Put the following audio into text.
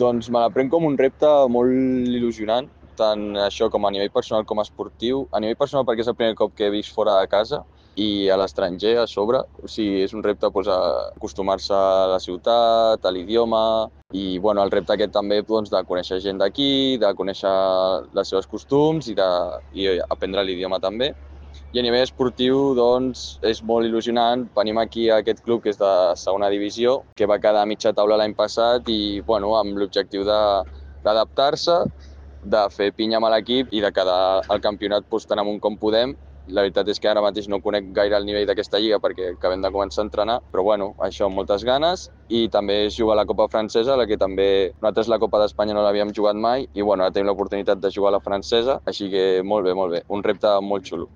Doncs me la prenc com un repte molt il·lusionant, tant això com a nivell personal com a esportiu. A nivell personal perquè és el primer cop que he vist fora de casa i a l'estranger a sobre. O sigui, és un repte doncs, acostumar-se a la ciutat, a l'idioma i bueno, el repte aquest també doncs, de conèixer gent d'aquí, de conèixer les seves costums i aprendre l'idioma també. I a nivell esportiu, doncs, és molt il·lusionant. Venim aquí a aquest club que és de segona divisió, que va quedar a mitja taula l'any passat i, bueno, amb l'objectiu d'adaptar-se, de fer pinya amb l'equip i de quedar al campionat doncs, tan amunt com podem. La veritat és que ara mateix no conec gaire el nivell d'aquesta lliga perquè acabem de començar a entrenar, però bueno, això amb moltes ganes. I també és jugar a la Copa Francesa, la que també nosaltres la Copa d'Espanya no l'havíem jugat mai i bueno, ara tenim l'oportunitat de jugar a la francesa, així que molt bé, molt bé. Un repte molt xulo.